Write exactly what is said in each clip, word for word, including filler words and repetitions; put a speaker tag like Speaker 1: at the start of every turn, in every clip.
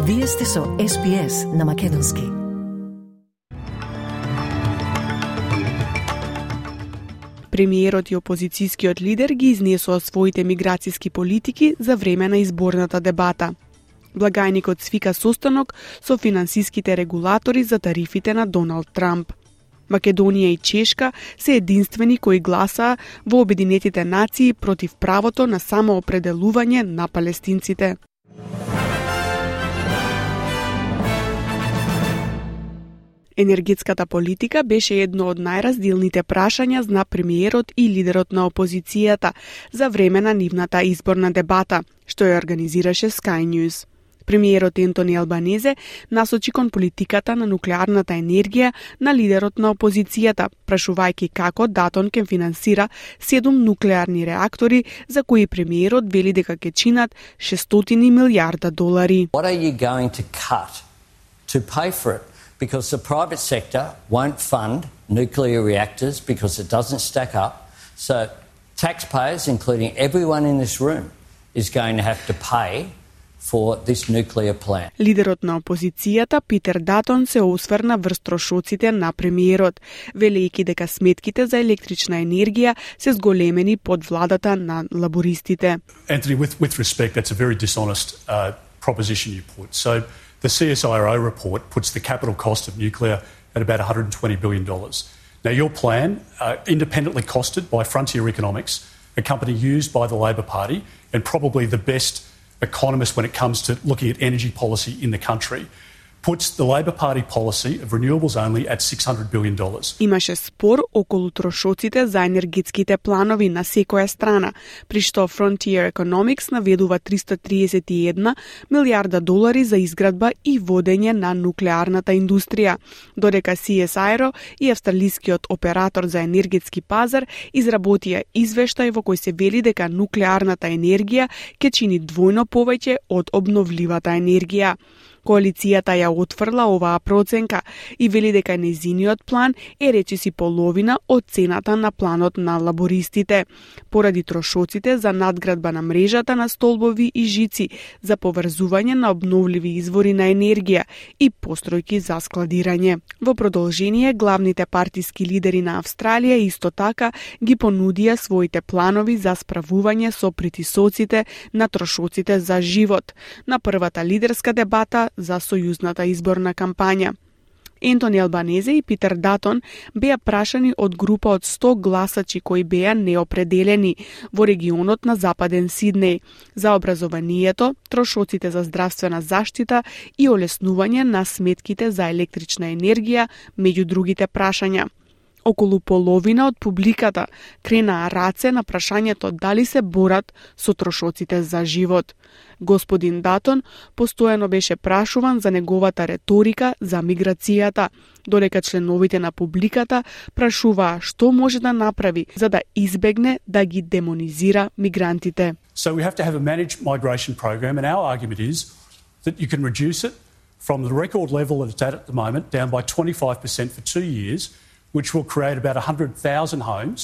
Speaker 1: Вие сте со Ес Би Ес на Македонски.
Speaker 2: Премиерот и опозицијскиот лидер ги изнесоа своите миграцијски политики за време на изборната дебата. Благајникот свика состанок со финансиските регулатори за тарифите на Доналд Трамп. Македонија и Чешка се единствени кои гласаа во Обединетите нации против правото на самоопределување на палестинците. Енергетската политика беше едно од најразделните прашања на премиерот и лидерот на опозицијата за време на нивната изборна дебата, што ја организираше Sky News. Премиерот Ентони Албанезе насочи кон политиката на нуклеарната енергија на лидерот на опозицијата, прашувајќи како Датон ќе финансира седум нуклеарни реактори за кои премиерот вели дека ќе чинат шестстотини милијарда долари.
Speaker 3: What are you going to cut to pay for it? Because the private sector won't fund nuclear reactors because it doesn't stack up. So taxpayers, including everyone in this room, is going to have to pay for this nuclear plant.
Speaker 2: Лидерот на опозицијата Питер Датон се осврна врз трошоците на премиерот, велејќи дека сметките за електрична енергија се зголемени под владата на лабористите.
Speaker 4: Anthony, with, with respect, that's a very dishonest uh, proposition you put. So the C S I R O report puts the capital cost of nuclear at about one hundred twenty billion dollars. Now, your plan, uh, independently costed by Frontier Economics, a company used by the Labor Party and probably the best economist when it comes to looking at energy policy in the country, puts the Labor Party policy of renewables only at six hundred billion dollars.
Speaker 2: Имаше спор околу трошоците за енергетските планови на секоја страна, при што Frontier Economics наведува триста триесет и една милијарда долари за изградба и водење на нуклеарната индустрија, додека Си Ес Ај Ар О и австралискиот оператор за енергетски пазар изработија извештај во кој се вели дека нуклеарната енергија ќе чини двојно повеќе од обновливата енергија. Коалицијата ја отфрла оваа проценка и вели дека нејзиниот план е речиси половина од цената на планот на лабористите, поради трошоците за надградба на мрежата на столбови и жици за поврзување на обновливи извори на енергија и постројки за складирање. Во продолжение, главните партиски лидери на Австралија исто така ги понудија своите планови за справување со притисоците на трошоците за живот на првата лидерска дебата за сојузната изборна кампања. Ентони Албанезе и Питер Датон беа прашани од група од сто гласачи кои беа неопределени во регионот на Западен Сиднеј за образованието, трошоците за здравствена заштита и олеснување на сметките за електрична енергија, меѓу другите прашања. Околу половина од публиката кренаа раце на прашањето дали се борат со трошоците за живот. Господин Датон постојано беше прашуван за неговата реторика за миграцијата, додека членовите на публиката прашуваа што може да направи за да избегне да ги демонизира мигрантите.
Speaker 4: So we have to have a managed migration program, and our argument is that you can reduce it from the record level that it's at at the moment down by twenty-five percent for two years, which will create about one hundred thousand homes,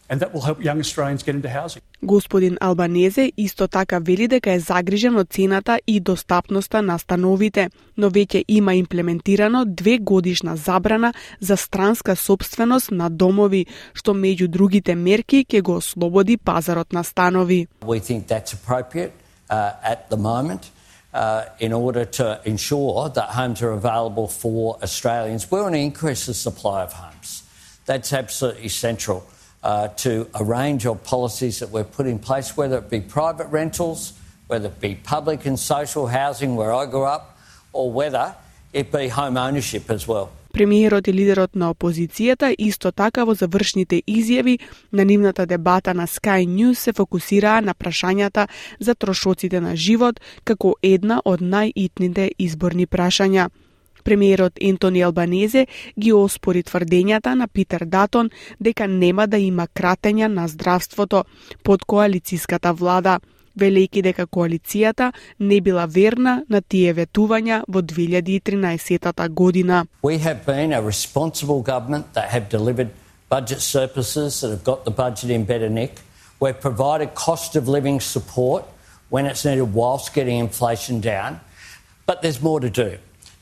Speaker 4: and that will help young Australians get into housing.
Speaker 2: Господин Албанезе исто така вели дека е загрижен од цената и достапноста на становите, но веќе има имплементирано две годишна забрана за странска сопственост на домови, што меѓу другите мерки ќе го ослободи пазарот на станови.
Speaker 3: We think that's appropriate uh, at the moment. Uh, in order to ensure that homes are available for Australians. We want to increase the supply of homes. That's absolutely central uh, to a range of policies that we've put in place, whether it be private rentals, whether it be public and social housing where I grew up, or whether it be home ownership as well.
Speaker 2: Премиерот и лидерот на опозицијата исто така во завршните изјави на нивната дебата на Sky News се фокусираа на прашањата за трошоците на живот како една од најитните изборни прашања. Премиерот Ентони Албанезе ги оспори тврдењата на Питер Датон дека нема да има кратења на здравството под коалицијската влада, велејќи дека коалицијата не била верна на тие ветувања во две илјади и тринаесетта година.
Speaker 3: We have been a responsible government that have delivered budget surpluses that have got the budget in better nick. We've provided cost of living support when it's needed whilst getting inflation down. But there's more to do,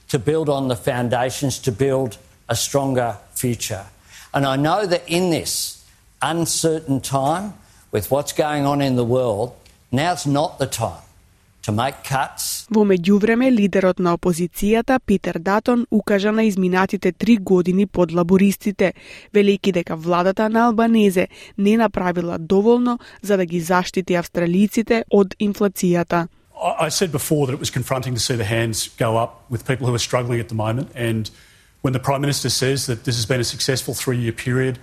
Speaker 3: to build on the foundations, to build a stronger future. And I know that in this uncertain time, with what's going on in the world, now's not the time to make cuts.
Speaker 2: Во меѓувреме, лидерот на опозицијата Питер Датон укажа на изминатите три години под лабористите, велејќи дека владата на Албанезе не направила доволно за да ги заштити австралиците од инфлацијата.
Speaker 4: I said before that it was confronting to see the hands go up with people who are struggling at the moment, and when the Prime Minister says that this has been a successful three-year period,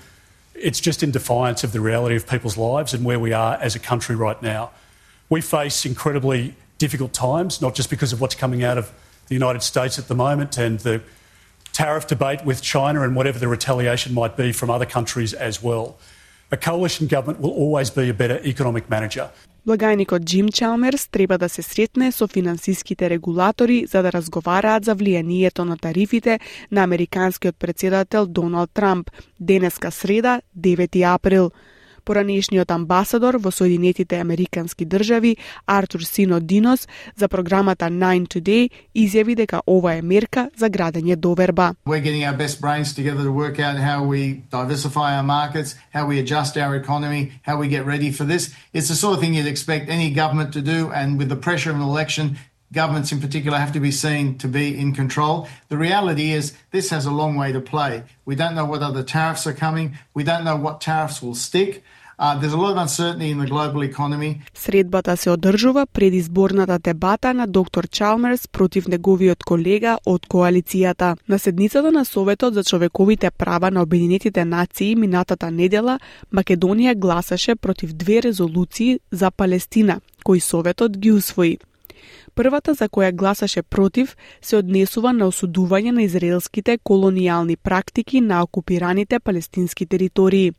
Speaker 4: it's just in defiance of the reality of people's lives and where we are as a country right now. We face incredibly difficult times, not just because of what's coming out of the United States at the moment and the tariff debate with China and whatever the retaliation might be from other countries as well. A coalition government will always be a better economic manager.
Speaker 2: Благајникот Джим Чалмерс треба да се сретне со финансиските регулатори за да разговараат за влијанието на тарифите на американскиот претседател Доналд Трамп, денеска среда, девети април. Поранешниот амбасадор во Соединетите Американски држави Артур Сино Динос за програмата Nine Today изјави дека ова е мерка за градење доверба.
Speaker 5: We're getting our best brains together to work out how we diversify our markets, how we adjust our economy, how we get ready for this. It's the sort of thing you'd expect any government to do, and with the pressure of an election, governments in particular have to be seen to be in control. The reality is this has a long way to play. We don't know what other tariffs are coming. We don't know what tariffs will stick. Uh, there's a lot of uncertainty in the global economy.
Speaker 2: Средбата се одржува пред изборната дебата на доктор Чалмерс против неговиот колега од коалицијата. На седницата на Советот за човековите права на Обединетите нации минатата недела, Македонија гласаше против две резолуции за Палестина, кои Советот ги усвои. Првата, за која гласаше против, се однесува на осудување на израелските колонијални практики на окупираните палестински територии.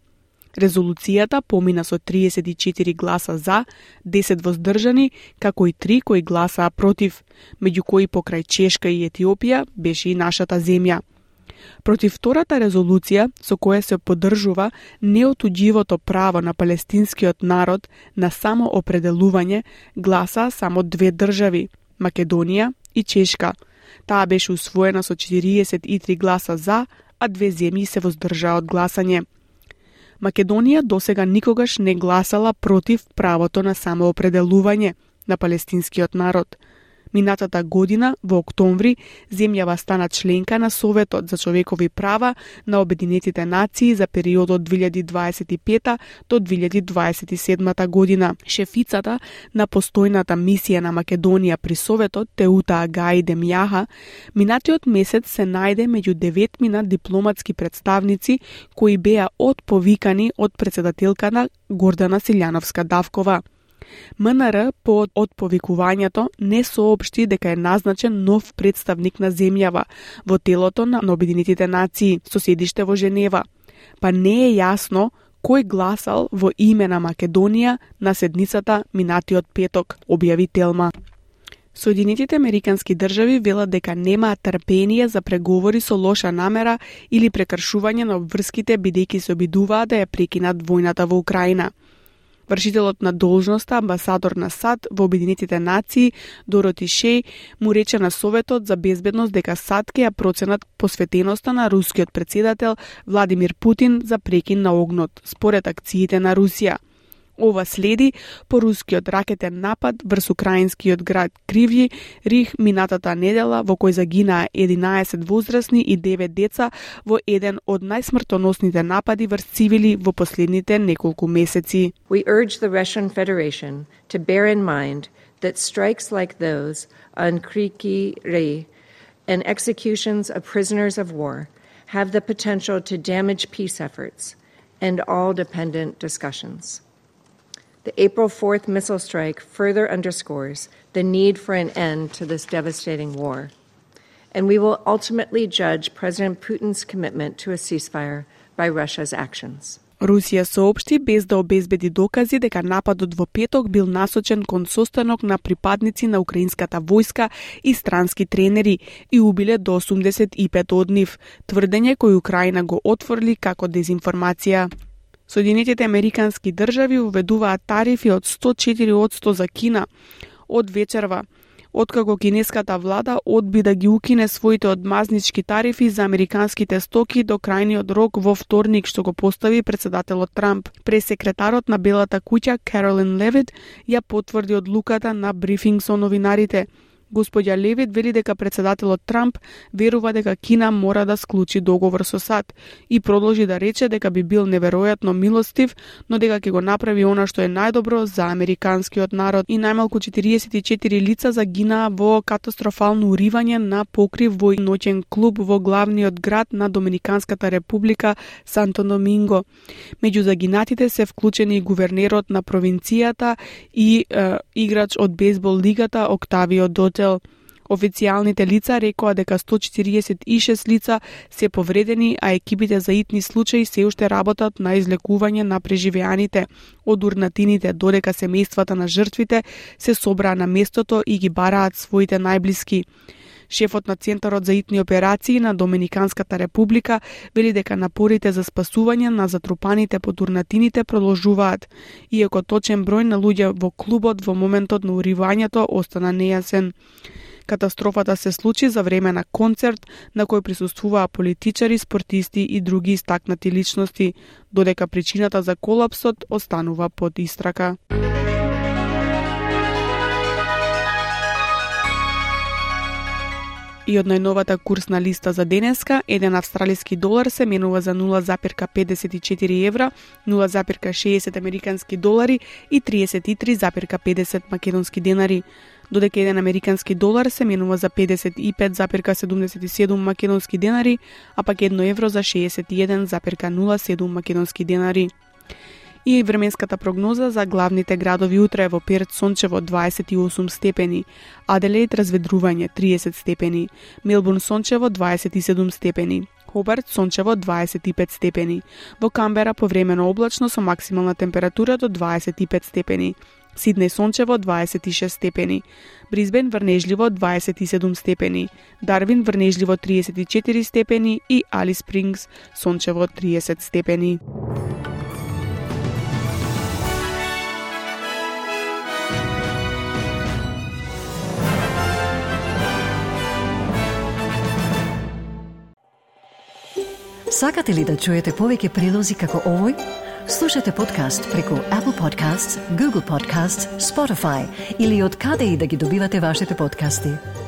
Speaker 2: Резолуцијата помина со триесет и четири гласа за, десет воздржани, како и три кои гласаа против, меѓу кои покрај Чешка и Етиопија беше и нашата земја. Против втората резолуција, со која се поддржува неотуѓивото право на палестинскиот народ на самоопределување, гласаа само две држави, Македонија и Чешка. Таа беше усвоена со четириесет и три гласа за, а две земји се воздржаа од гласање. Македонија досега никогаш не гласала против правото на самоопределување на палестинскиот народ. Минатата година, во октомври, земјава стана членка на Советот за човекови права на Обединетите нации за периодот две илјади дваесет и пета до две илјади дваесет и седма година. Шефицата на постојната мисија на Македонија при Советот, Теута Агаи Демјаха, минатиот месец се најде меѓу деветмина дипломатски представници кои беа отповикани од претседателката Гордана Силјановска-Давкова. МНР по отповикувањето не соопшти дека е назначен нов представник на земјава во телото на Обединетите нации со седиште во Женева, па не е јасно кој гласал во име на Македонија на седницата минатиот петок, објави Телма. Соединетите Американски држави велат дека немаат трпение за преговори со лоша намера или прекршување на обврските бидејќи се обидуваат да ја прекинат војната во Украина. Вршителот на должноста, амбасадор на САД во Обединетите нации, Дороти Шеј, му рече на Советот за безбедност дека САД ќе ја проценат посветеноста на рускиот претседател Владимир Путин за прекин на огнот, според акциите на Русија. Ова следи по рускиот ракетен напад врз украинскиот град Кривји Рих минатата недела, во кој загинаа единаесет возрасни и девет деца во еден од најсмртоносните напади врз цивили во последните неколку месеци.
Speaker 6: We urge the Russian Federation to bear in mind that strikes like those on Kryvyi Rih and executions of prisoners of war have the potential to damage peace efforts and all dependent discussions. The April fourth missile strike further underscores the need for an end to this devastating war, and we will ultimately judge President Putin's commitment to a ceasefire by Russia's actions.
Speaker 2: Русија соопшти без да обезбеди докази дека нападот во петок бил насочен кон состанок на припадници на украинската војска и странски тренери и убиле до осумдесет и пет од нив, тврдење кој Украина го отфрли како дезинформација. Соединетите Американски држави уведуваат тарифи од сто четири одсто за Кина од вечерва. откако кинеската влада одби да ги укине своите одмазнички тарифи за американските стоки до крајниот рок во вторник, што го постави председателот Трамп. Пресекретарот на Белата куќа Каролин Левит ја потврди одлуката на брифинг со новинарите. Господја Левит вели дека председателот Трамп верува дека Кина мора да склучи договор со САД и продолжи да рече дека би бил неверојатно милостив, но дека ќе го направи она што е најдобро за американскиот народ. И најмалку четириесет и четири лица загинаа во катастрофално уривање на покрив во ноќен клуб во главниот град на Доминиканската република Санто Доминго. Меѓу загинатите се вклучени и гувернерот на провинцијата и е, играч од бейсбол лигата Октавио Дотел. Официјалните лица рекоа дека сто четириесет и шест лица се повредени, а екипите за итни случаи се уште работат на излекување на преживеаните од урнатините, додека семејствата на жртвите се собраа на местото и ги бараат своите најблиски. Шефот на Центарот за итни операции на Доминиканската република вели дека напорите за спасување на затрупаните под урнатините продолжуваат, иако точен број на луѓе во клубот во моментот на уривањето остана нејасен. Катастрофата се случи за време на концерт на кој присуствуваа политичари, спортисти и други истакнати личности, додека причината за колапсот останува под истрака. И од најновата курсна листа за денеска, еден австралиски долар се менува за нула запирка педесет и четири евра, нула запирка шеесет американски долари и триесет и три запирка педесет македонски денари, додека еден американски долар се менува за педесет и пет запирка седумдесет и седум македонски денари, а пак едно евро за шеесет и еден запирка нула седум македонски денари. И временската прогноза за главните градови утре: во Перт сончево дваесет и осум степени, Аделаид разведрување триесет степени, Мелбурн сончево дваесет и седум степени, Хобарт сончево дваесет и пет степени, во Камбера повремено облачно со максимална температура до дваесет и пет степени, Сиднеј сончево дваесет и шест степени, Брисбен врнежливо дваесет и седум степени, Дарвин врнежливо триесет и четири степени и Алис Спрингс сончево триесет степени.
Speaker 1: Сакате ли да чуете повеќе прилози како овој? Слушате подкаст преку Apple Podcasts, Google Podcasts, Spotify или од каде и да ги добивате вашите подкасти.